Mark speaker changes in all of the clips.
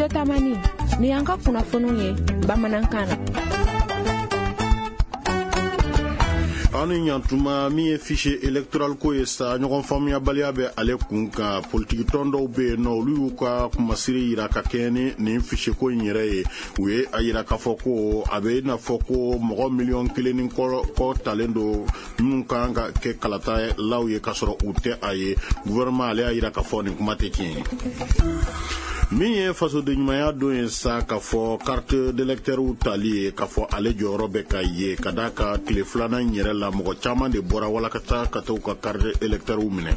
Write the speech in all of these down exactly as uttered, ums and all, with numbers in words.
Speaker 1: Studio Tamani, ni y'an ka kunnafoniw ye bamanankan na.
Speaker 2: Aw ni ɲantuma. Min ye fichier électoral ko ye sa, ɲɔgɔn faamuyabaliya bɛ ale kun kan. Politiki tɔn dɔw bɛ yen nɔ, olu y'u ka kumasiri yira ka kɛɲɛ ni nin fichier ko in yɛrɛ ye. U ye a yira k'a fɔ ko a bɛ i n'a fɔ ko mɔgɔ miliyɔn kelen ni kɔ kɔ talen don minnu kan ka kɛ kalatalaw ye, k'a sɔrɔ u tɛ a ye. Gouvernement, ale y'a yira k'a fɔ nin kuma tɛ tiɲɛ ye. Min ye fasoden ɲumanya don ye sa, k'a fɔ carte d'électeur tali ye, k'a fɔ ale jɔyɔrɔ bɛ ka ye ka d'a ka tile filanan in yɛrɛ la, mɔgɔ caman de bɔra walasa ka t'u ka carte électeur minɛ.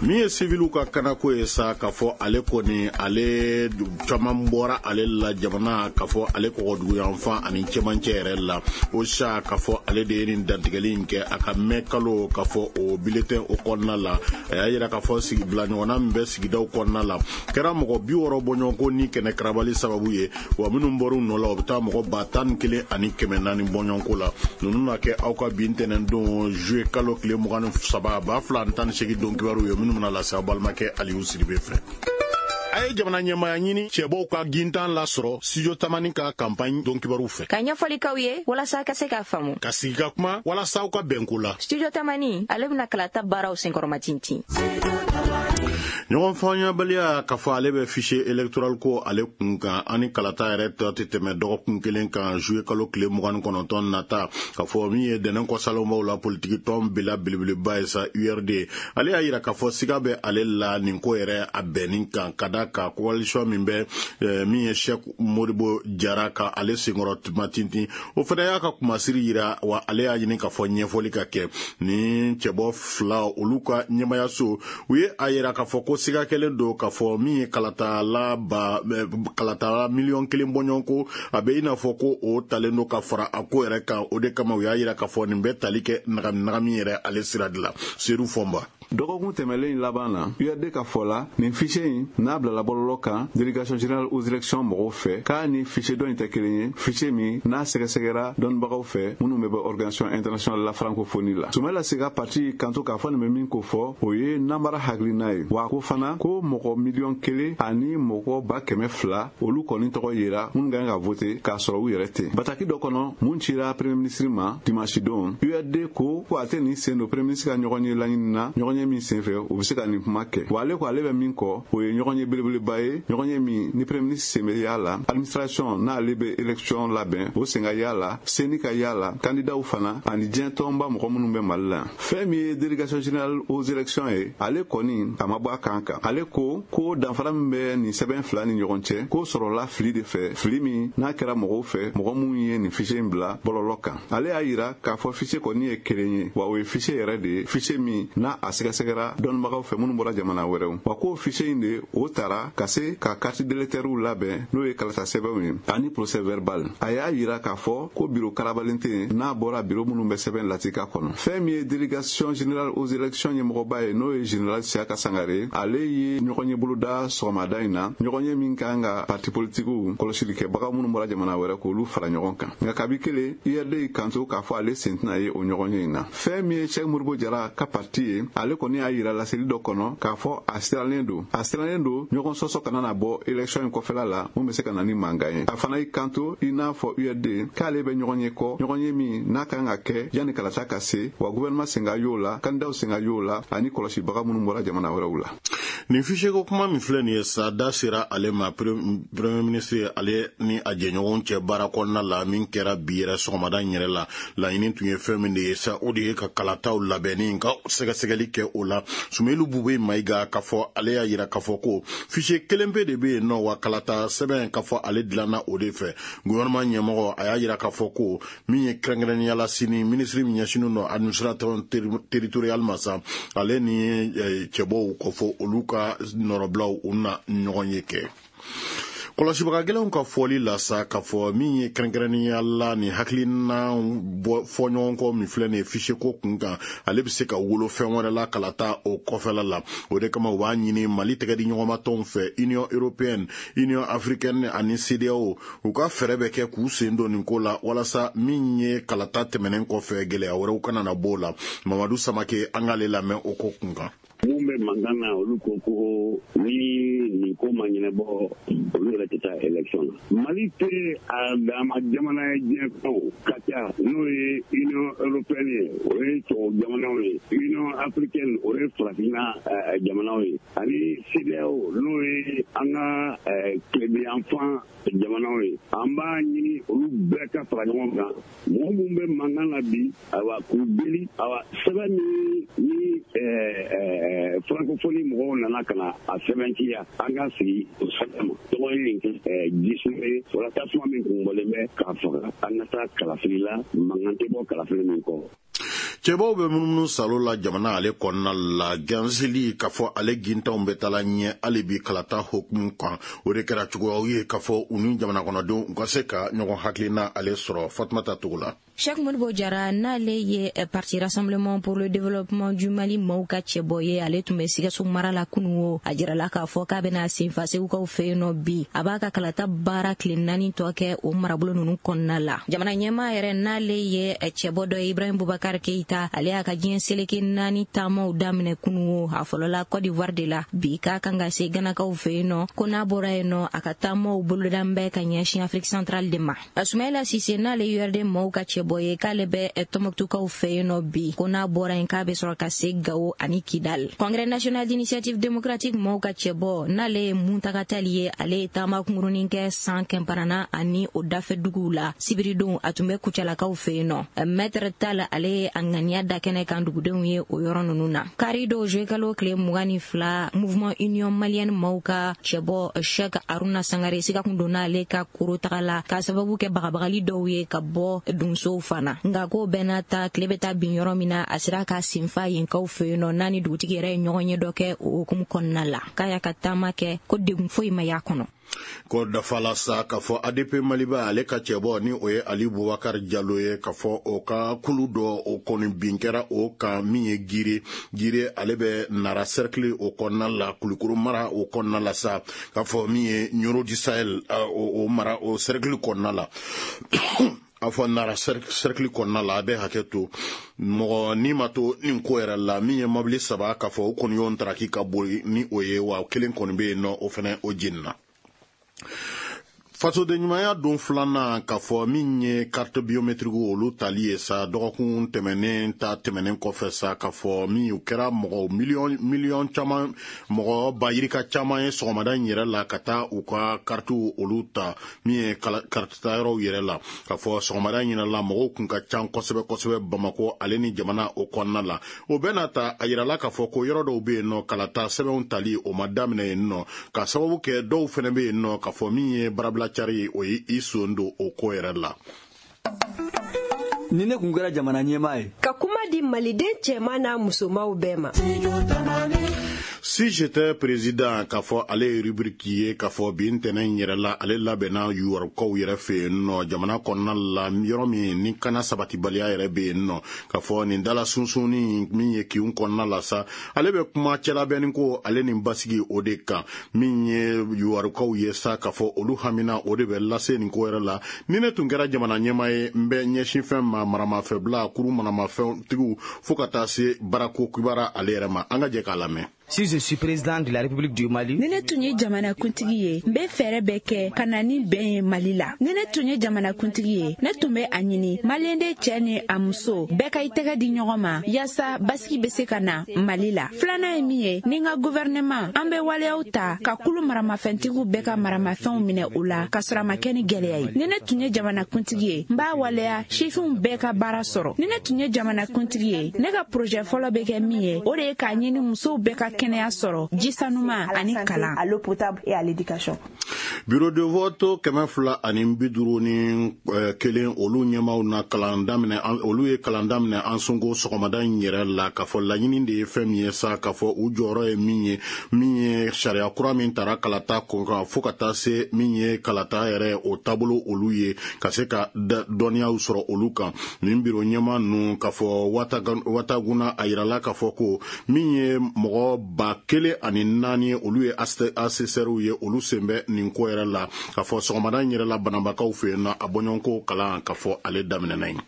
Speaker 2: Min ye siviliw ka kanako ye sa, k'a fɔ ale kɔni, ale caman bɔra ale la jamana, k'a fɔ ale kɔgɔduguyanfan ani cɛmancɛ yɛrɛ la. O sa, k'a fɔ ale de ye nin dantigɛli in kɛ a ka mɛ kalo, k'a fɔ o bulletin o kɔnɔna la. A y'a yira k'a fɔ sigi bila ɲɔgɔnna min bɛ sigidaw kɔnɔna la kɛra mɔgɔ bi wɔɔrɔ bɔɲɔgɔnko ni kɛnɛ karabali sababu ye, wa minnu bɔr'u nɔ la, o bɛ taa mɔgɔ ba tan ni kelen ani kɛmɛ naani bɔɲɔgɔnko la. Ninnu na kɛ aw ka bi ntɛnɛn don, juillet kalo tile mugan ni saba ba fila ani tan ni seegin don kibaruw ye, minnu bɛna lase aw balimakɛ Aliyu Siribe fɛ. A ye jamana ɲɛmaya ɲini cɛbɔw ka gintan lasɔrɔ Studio Tamani ka campagne don kibaruw fɛ.
Speaker 3: Ka ɲɛfɔli k'aw ye walasa ka se k'a faamu.
Speaker 2: Ka sigi ka kuma walasa aw ka bɛnko la.
Speaker 3: Studio Tamani, ale bɛna kalata baaraw senkɔrɔmatintin.
Speaker 2: Ɲɔgɔn faamuyabaliya, k'a fɔ ale bɛ fichier électoral ko ale kun kan, ani kalata yɛrɛ tɔ tɛ tɛmɛ dɔgɔkun kelen kan, juillet kalo tile mugan ni kɔnɔntɔn nata. K'a fɔ min ye dɛnɛn kɔsalonbaw la politiki tɔn bila belebeleba ye sa, U R D, ale y'a yira k'a fɔ siga bɛ ale la nin ko yɛrɛ a bɛnni kan, ka da kan coalition min bɛ min ye Cheikh Modibo Jara ka ale senkɔrɔ tuma tintin, o fana y'a ka kumasiri yira, wa ale y'a ɲini k'a fɔ ɲɛfɔli ka kɛ ni cɛbɔ fila olu ka ɲɛmayaso. U ye a yira k'a fɔ ko siga kɛlen don k'a fɔ min ye kalatala ba kalatala miliyɔn kelen bɔɲɔgɔn ko, a bɛ i n'a fɔ ko o talen don ka fara a ko yɛrɛ kan. O de kama u y'a yira k'a fɔ nin bɛ tali kɛ nagami nagami yɛrɛ ale sira de la. Seru Fɔnba.
Speaker 4: Dɔgɔkun tɛmɛlen laban na, U R D ka fɔ la, nin fichier in n'a bilala bɔlɔlɔ kan Délégation générale aux élections mɔgɔw fɛ, k'a ni fichier dɔ in tɛ kelen ye, fichier min n'a sɛgɛsɛgɛra dɔnnibagaw fɛ minnu bɛ bɔ Organisation internationale la francophonie la. Sumala Sega parti kanto k'a fɔ nin bɛ min ko fɔ, o ye namara hakilina ye, wa ko fana ko mɔgɔ miliyɔn kelen ani mɔgɔ ba kɛmɛ fila, olu kɔni tɔgɔ yera minnu kan ka vote k'a sɔrɔ u yɛrɛ tɛ. Bataki dɔ kɔnɔ mun cira premier ministre ma dimanche don, U R D ko ko a tɛ nin sen don premier ministre ka ɲɔgɔn ye laɲini na, ɲɔgɔn ye min senfɛ u bɛ se ka nin kuma kɛ. Wa ale ko ale bɛ min kɔ, o ye ɲɔgɔn ye belebeleba ye, ɲɔgɔn ye min ni premier ministre sen bɛ y'a la, administration n'ale bɛ élection labɛn, o sen ka y'a la, CENI ka y'a la, candidatw fana ani diɲɛ tɔnba mɔgɔ minnu bɛ Mali la. Fɛn min ye Délégation générale aux élections ye, ale kɔni a ma bɔ a kan kan. Ale ko ko danfara min bɛ nin sɛbɛn fila ni ɲɔgɔn cɛ, k'o sɔrɔla fili de fɛ, fili min n'a kɛra mɔgɔw fɛ, mɔgɔ minnu ye nin fichier in bila bɔlɔlɔ kan. Ale y'a yira k'a fɔ fichier kɔni ye kelen ye, wa o ye fichier yɛrɛ de ye, fichier min n'a a sɛgɛsɛgɛra dɔnnibagaw fɛ minnu bɔra jamana wɛrɛw, wa k'o fichier in de o tara ka se ka carte d'électeurw labɛn, n'o ye kalata sɛbɛnw ye ani procès verbal. A y'a yira k'a fɔ ko biro karabalen tɛ yen n'a bɔra biro minnu bɛ sɛbɛn latika kɔnɔ. Fɛn min ye Délégation générale aux élections ɲɛmɔgɔba ye, n'o ye général Siyaka Sangare, ale ye ɲɔgɔn ye boloda sɔgɔmada in na, ɲɔgɔn ye min kan ka parti politikiw kɔlɔsilikɛbaga minnu bɔra jamana wɛrɛ, k'olu fara ɲɔgɔn kan. Nka kabi kelen, U R D y'i kanto k'a fɔ ale sen tɛna ye o ɲɔgɔn ye in na. Fɛn min ye Cheikh Modibo Jara ka parti ye, ale kɔni y'a yira laseli dɔ kɔnɔ k'a fɔ a sirannen don a sirannen don ɲɔgɔn sɔsɔ kana na bɔ élection in kɔfɛla la mun bɛ se ka na ni mankan ye. A fana y'i kanto i n'a fɔ U R D k'ale bɛ ɲɔgɔn ye kɔ, ɲɔgɔn ye min n'a kan ka kɛ yanni kalata ka se, wa gouvernement sen ka y'o la, candidatw sen ka y'o la ani kɔlɔsibaga minnu bɔra jamana wɛrɛw la.
Speaker 2: Nin fichier ko kuma min filɛ nin ye sa, da sera ale ma premier ministre ale ni a jɛɲɔgɔnw cɛ baara kɔnɔna la min kɛra bi yɛrɛ sɔgɔmada in yɛrɛ la. Laɲini tun ye fɛn min de ye sa, o de ye ka kalataw labɛnni ka sɛgɛsɛgɛli kɛ o la. Sumelu Bube Mayiga, k'a fɔ ale y'a yira k'a fɔ ko fichier kelen pe de bɛ yen nɔ, wa kalata sɛbɛn, k'a fɔ ale dilanna o de fɛ. Gouvernement ɲɛmɔgɔ, a y'a yira k'a fɔ ko min ye kɛrɛnkɛrɛnnenya la sini, minisiri min ɲɛsinnen don administration territoriale ma sa, ale ni cɛbɔw kɔfɔ olu ka nɔrɔbilaw, u na ɲɔgɔn ye kɛ. Kɔlɔsibaga gɛlɛnw ka fɔli la sa, k'a fɔ min ye kɛrɛnkɛrɛnnenya la nin hakilina fɔ ɲɔgɔn kɔ min filɛ nin ye fichier ko kun kan, ale bɛ se ka wolo fɛn wɛrɛ la kalata o kɔfɛla la. O de kama u b'a ɲini Mali tɛgɛ di ɲɔgɔnmatɔnw fɛ, Union européenne, Union africaine ani CEDEAO, u ka fɛɛrɛ bɛ kɛ k'u sen don nin ko la, walasa min ye kalata tɛmɛnen kɔfɛ, gɛlɛya wɛrɛw kana na bɔ o la. Mamadu Samake, an k'ale lamɛn o ko kun kan.
Speaker 5: Mun bɛ mankan na, olu ko ko ni nin ko ma ɲɛnabɔ, olu yɛrɛ tɛ taa élection na. Mali tɛ a dama jamana ye diɲɛ kɔnɔ ka ca, n'o ye Union européenne ye, o ye tubabu jamanaw ye, Union africaine, o ye farafinna jamanaw ye, ani CEDEAO, n'o ye an ka tilebinyanfan jamanaw ye. An b'a ɲini olu bɛɛ ka fara ɲɔgɔn kan. Mɔgɔ minnu bɛ mankan na bi, ayiwa, k'u deli, ayiwa, sɛbɛn min ni francophonie mɔgɔw nana ka na a sɛbɛntiya, an ka sigi o sɛbɛn ma. Tɔgɔ ye nin kɛ jisuma ye, wala tasuma min kun bɔlen bɛ k'a faga. An ka taa kalafili la, mankan tɛ bɔ kalafili min kɔ.
Speaker 2: Cɛbaw bɛ munumunu salo la jamana ale kɔnɔna la, ganseli k'a fɔ ale gintanw bɛ taala ɲɛ hali bi kalata hokumu kan. O de kɛra cogoyaw ye k'a fɔ u ni jamana kɔnɔdenw u ka se ka ɲɔgɔn hakilina ale sɔrɔ. Fatumata Togo la.
Speaker 3: Cheikh Modibo Jara, n'ale ye parti Rassemblement pour le développement du Mali maaw ka cɛbɔ ye, ale tun bɛ Sikaso mara la kunun. O a jirala k'a fɔ k'a bɛna senfa Segukaw fɛ yen nɔ bi. A b'a ka kalata baara tile naani tɔ kɛ o marabolo ninnu kɔnɔna la. Jamana ɲɛmaa yɛrɛ, n'ale ye cɛbɔ dɔ ye, Ibrahim Boubacar Keïta, ale y'a ka diɲɛ seleke naani taamaw daminɛ kunun. O a fɔlɔla Côte d'Ivoire de la, bi k'a kan ka se Ganakaw fɛ yen nɔ. Ko n'a bɔra yen nɔ, a ka taamaw boloda bɛ ka ɲɛsin Afrique centrale de ma. Soumaïla Cissé, n'ale U R D maaw ka cɛbɔ ye, k'ale bɛ Tɔnbɔkutukaw fɛ yen nɔ bi. Ko n'a bɔra yen, k'a bɛ sɔrɔ ka se Gawo ani Kidal. Congrès national d'initiative démocratique maaw ka cɛbɔ, n'ale ye Mountaga Tall ye, ale ye taama kunkurunin kɛ San Kɛnparana ani o dafɛ duguw la. Sibiridon, a tun bɛ Kucalakaw fɛ yen nɔ. Maître Tall, ale ye a ŋaniya da kɛnɛ kan dugudenw ye o yɔrɔ ninnu na. Kari don, juillet kalo tile mugan ni fila, Mouvement Union malienne maaw ka cɛbɔ Cheikh Haruna Sangare, siga kun donna ale ka koro taga la k'a sababu kɛ bagabagali dɔw ye ka bɔ donsow fana. Nka ko bɛɛ n'a ta, tile bɛ taa bin yɔrɔ min na, a sera ka senfa yenkaw fɛ yen nɔ, n'a ni dugutigi yɛrɛ ye ɲɔgɔn ye dɔ kɛ o hukumu kɔnɔna la. K'a y'a ka taama kɛ ko degun foyi ma y'a kɔnɔ.
Speaker 2: Ko dafa sa k'a fɔ A D P Maliba ale ka cɛbɔ, ni o ye Ali Bubakar Jalo ye, k'a fɔ o ka kulu dɔ o kɔni bin kɛra o kan min ye Gire. Gire, ale bɛ Nara cercle o kɔnɔna la, Kulukoro mara o kɔnɔna la sa, k'a fɔ min ye Nioro du Sahel o mara o cercle kɔnɔna la, a fɔ Nara cercle kɔnɔna la. A bɛ hakɛ to, mɔgɔ ni ma to nin ko yɛrɛ la. Min ye mobili saba, k'a fɔ o kɔni y'o taraki ka boli ni o ye, wa kelen kɔni bɛ yen nɔ, o fɛnɛ o jenina. Fasoden ɲumanya don filanan, k'a fɔ min ye carte biométrique olu tali ye sa, dɔgɔkun tɛmɛnen ta tɛmɛnen kɔfɛ sa, k'a fɔ min u kɛra mɔgɔ miliyɔn miliyɔn caman, mɔgɔ ba yirika caman ye sɔgɔmada in yɛrɛ la ka taa u ka karitiw olu ta min ye kariti tayɔrɔw yɛrɛ la. K'a fɔ sɔgɔmada in yɛrɛ la, mɔgɔw kun ka ca kosɛbɛ kosɛbɛ Bamakɔ ale ni jamana o kɔnɔna la. O bɛɛ n'a ta, a yirala k'a fɔ ko yɔrɔ dɔw bɛ yen nɔ, kalata sɛbɛnw tali o ma daminɛ yen nɔ, ka sababu kɛ dɔw fɛnɛ bɛ yen nɔ, k'a fɔ min ye barabila cari, o ye i son don o ko yɛrɛ la.
Speaker 6: Ni ne kun kɛra jamana ɲɛmaa ye,
Speaker 7: ka kuma di maliden cɛman n'a musomanw bɛɛ ma.
Speaker 2: Si j'étais président, k'a fɔ ale ye rubrique ye, k'a fɔ bi ntɛnɛn in yɛrɛ la, ale labɛnna yuwarukaw yɛrɛ fɛ yen nɔ, jamana kɔnɔna la, yɔrɔ min ni kana sabatibaliya yɛrɛ bɛ yen nɔ, k'a fɔ nin dala sunsunni min ye kinw kɔnɔna la sa, ale bɛ kuma cɛlabɛnni ko ale ni basigi o de kan. Min ye yuwarukaw ye sa, k'a fɔ olu hamina o de bɛ lase nin ko yɛrɛ la. Ni ne tun kɛra jamana ɲɛmaa ye, n bɛ ɲɛsin fɛn ma: maramafɛnbila, kuru maramafɛntigiw, fo ka taa se baarako kibaruya ale yɛrɛ ma. An ka jɛ k'a lamɛn.
Speaker 8: Si je suis président de la République du Mali,
Speaker 9: ni ne tun ye jamanakuntigi ye, n bɛ fɛɛrɛ bɛɛ kɛ ka na ni bɛn ye Mali la. Ni ne tun ye jamanakuntigi ye, ne tun bɛ a ɲini maliyɛnden cɛɛ ni a muso bɛɛ ka i tɛgɛ di ɲɔgɔn ma, yaasa basigi bɛ se ka na Mali la. Filanan ye min ye, ni n ka gouvernement, an bɛ waleyaw ta ka kulu maramafɛntigiw bɛɛ ka maramafɛnw minɛ u la, ka sɔrɔ a ma kɛ ni gwɛlɛya ye. Ni ne tun ye jamanakuntigi ye, n b'a waleya sifinw bɛɛ ka baara sɔrɔ. Ni ne tun ye jamanakuntigi ye, ne ka projet fɔlɔ bɛ kɛ min ye, o de ye k'a ɲini musow bɛɛ ka kɛnɛya sɔrɔ, ji sanuma ani kalan.
Speaker 10: À l'eau potable et à l'éducation.
Speaker 2: Bureau de vote kɛmɛ fila ani bi duuru ni kelen, olu ɲɛmaw na kalan daminɛ, olu ye kalan daminɛ an sonko sɔgɔmada in yɛrɛ la, k'a fɔ laɲini de ye fɛn min ye sa, k'a fɔ u jɔyɔrɔ ye min ye, min ye sariya kura min tara kalata kun kan, fo ka taa se min ye kalata yɛrɛ o taabolo, olu ye ka se ka dɔnniyaw sɔrɔ olu kan. Nin biro ɲɛma ninnu, k'a fɔ Wataguna, a yirala k'a fɔ ko min ye mɔgɔ ba kelen ani naani, olu ye assesseurs ye, olu sen bɛ nin ko yɛrɛ la. K'a fɔ sɔgɔmada in yɛrɛ la, banabakaw fɛ yen nɔ, a bɔɲɔgɔnko kalan, k'a fɔ ale daminɛna yen.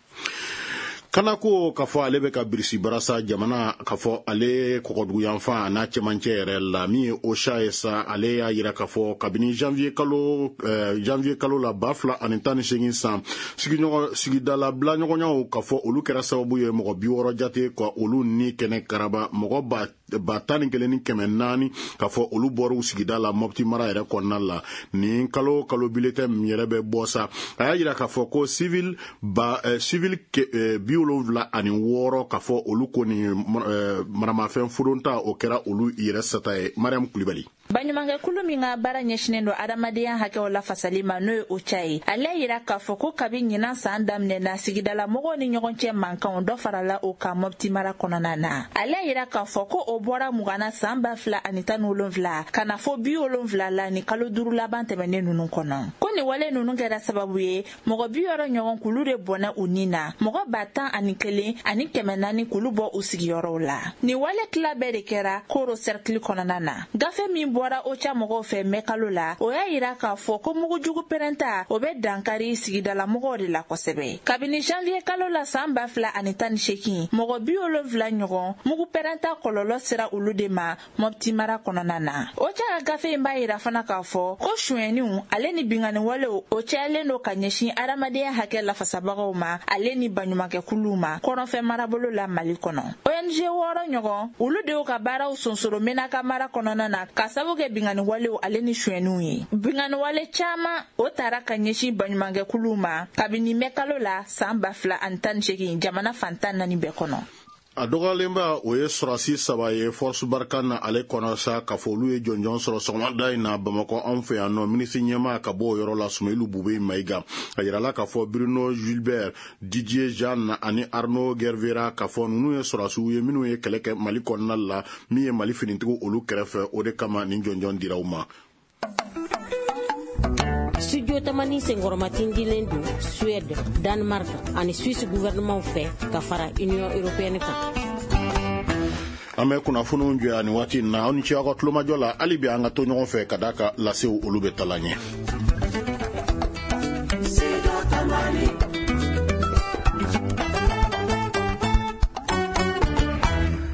Speaker 2: Kana ko k'a fɔ ale bɛ ka birisi barasa jamana k'a fɔ ale kɔgɔduguyanfan a n'a cɛmancɛ yɛrɛ la, min ye OCHA ye sa, ale y'a yira k'a fɔ kabini janvier kalo janvier kalo la ba fila ani tan ni seegin san, sigiɲɔgɔn sigidala bila ɲɔgɔnyaw k'a fɔ olu kɛra sababu ye mɔgɔ bi wɔɔrɔ jate ka olu ni kɛnɛ karaba, mɔgɔ ba ba tan ni kelen ni kɛmɛ naani k'a fɔ olu bɔra u sigida la Mopti mara yɛrɛ kɔnɔna la. Nin kalo kalo bulletin min yɛrɛ bɛ bɔ sa, a y'a yira k'a fɔ ko civil ba civil bi wolonwula ani wɔɔrɔ k'a fɔ olu kɔni maramafɛn fodonta o kɛra olu yɛrɛ sata ye. Mariam Kulibali.
Speaker 9: Baɲumankɛkulu min ka baara ɲɛsinnen don adamadenya hakɛw lafasali ma, n'o ye OCHA ye, ale y'a yira k'a fɔ ko kabi ɲinan san daminɛ na, sigidala mɔgɔw ni ɲɔgɔn cɛ mankanw dɔ farala o kan Mopti mara kɔnɔna na. Ale y'a yira k'a fɔ ko o bɔra mugan na san ba fila ani tan ni wolonwula ka na fɔ bi wolonwula la ni kalo duuru laban tɛmɛnen ninnu kɔnɔ. Ko nin wale ninnu kɛra sababu ye mɔgɔ bi wɔɔrɔ ɲɔgɔn k'olu de bɔnɛ u ni na, mɔgɔ ba tan ani kelen ani kɛmɛ naani k'olu bɔ u sigiyɔrɔw la. Nin wale tila bɛɛ de kɛra Koro sɛrikili kɔnɔna na. Gafe min bɔra OCHA mɔgɔw fɛ mɛ kalo la, o y'a yira k'a fɔ ko mugujugu pɛrɛnta o bɛ dankari sigidalamɔgɔw de la kosɛbɛ. Kabini janvier kalo la san ba fila ani tan ni seegin, mɔgɔ bi wolonwula ɲɔgɔn mugu pɛrɛnta kɔlɔlɔ sera olu de ma Mopti mara kɔnɔna na. OCHA ka gafe in b'a yira fana k'a fɔ ko sonyɛniw ale ni binkanniwalew o cayalen don ka ɲɛsin adamadenya hakɛ lafasabagaw ma ale ni baɲumankɛkuluw ma kɔrɔnfɛ marabolo la Mali kɔnɔ. O N G wɔɔrɔ ɲɔgɔn olu de y'u ka baaraw sonsoro Menaka mara kɔnɔna na ka sababu kɛ binkanniwalew ale ni sonyɛniw ye. Binkanniwale caman o taara ka ɲɛsin baɲumankɛkuluw ma kabini mɛ kalo la san ba fila ani tan ni seegin jamana fan tan naani bɛɛ kɔnɔ.
Speaker 2: A dɔgɔyalenba o ye sɔrɔsi saba ye Force Barkhane na ale kɔnɔ sa, k'a fɔ olu ye jɔnjɔn sɔrɔ sɔgɔmada in na Bamakɔ anw fɛ yan nɔ. Minisiri ɲɛmaa ka bɔ o yɔrɔ la, Sumeyilu Bube Mayiga, a yirala k'a fɔ Bruno Gilbert, Didier Jean ani Arnaud Gervera, k'a fɔ ninnu ye sɔrɔsiw ye minnu ye kɛlɛ kɛ Mali kɔnɔna la, min ye Mali finitigiw olu kɛrɛfɛ, o de kama nin jɔnjɔn dira u ma.
Speaker 6: Studio Tamani senkɔrɔmatindilen don Suède, Danemark ani Suisse gouvernement fɛ ka fara Union européenne kan.
Speaker 2: An bɛ kunnafoniw jɔ yan nin waati in na. Aw ni ce aw ka tulomajɔ la, hali bi an ka to ɲɔgɔn fɛ ka d'a kan lasew olu bɛ tala ɲɛ.